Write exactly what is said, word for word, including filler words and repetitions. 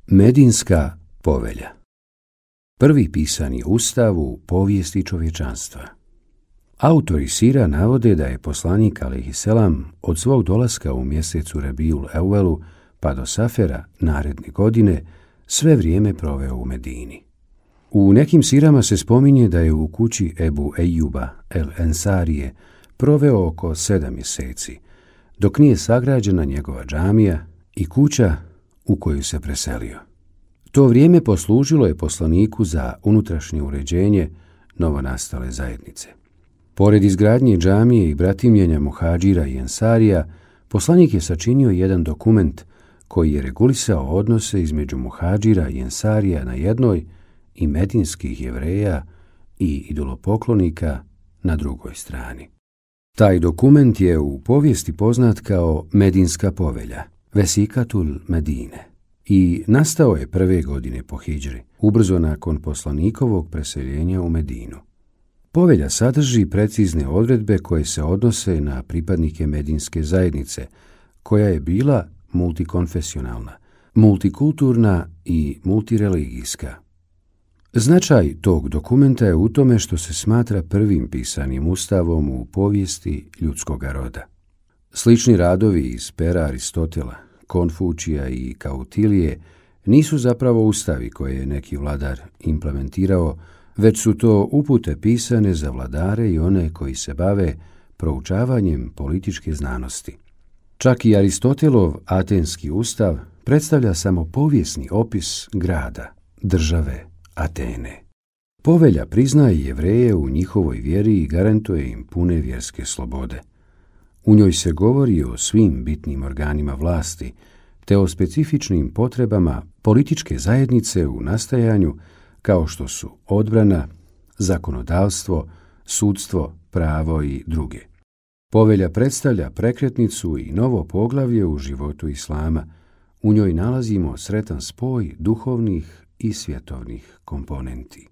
Medinska povelja. Prvi pisani ustav u povijesti čovječanstva. Autori sira navode da je poslanik alejhiselam od svog dolaska u mjesecu Rebijul Evvelu pa do Safera naredne godine sve vrijeme proveo u Medini. U nekim sirama se spominje da je u kući Ebu Ejuba el Ensarije proveo oko sedam mjeseci, dok nije sagrađena njegova džamija i kuća u koju se preselio. To vrijeme poslužilo je poslaniku za unutrašnje uređenje novonastale zajednice. Pored izgradnje džamije i bratimljenja muhadžira i ensarija, poslanik je sačinio jedan dokument koji je regulisao odnose između muhadžira i ensarija na jednoj i medinskih Jevreja i idolopoklonika na drugoj strani. Taj dokument je u povijesti poznat kao Medinska povelja, Vesikatul Medine, i nastao je prve godine po hidžri, ubrzo nakon poslanikovog preseljenja u Medinu. Povelja sadrži precizne odredbe koje se odnose na pripadnike medinske zajednice, koja je bila multikonfesionalna, multikulturna i multireligijska. Značaj tog dokumenta je u tome što se smatra prvim pisanim ustavom u povijesti ljudskoga roda. Slični radovi iz pera Aristotela, Konfučija i Kautilije nisu zapravo ustavi koje je neki vladar implementirao, već su to upute pisane za vladare i one koji se bave proučavanjem političke znanosti. Čak i Aristotelov Atenski ustav predstavlja samo povijesni opis grada, države Atene. Povelja priznaje Jevreje u njihovoj vjeri i garantuje im pune vjerske slobode. U njoj se govori o svim bitnim organima vlasti, te o specifičnim potrebama političke zajednice u nastajanju, kao što su odbrana, zakonodavstvo, sudstvo, pravo i druge. Povelja predstavlja prekretnicu i novo poglavlje u životu islama. U njoj nalazimo sretan spoj duhovnih i svjetovnih komponenti.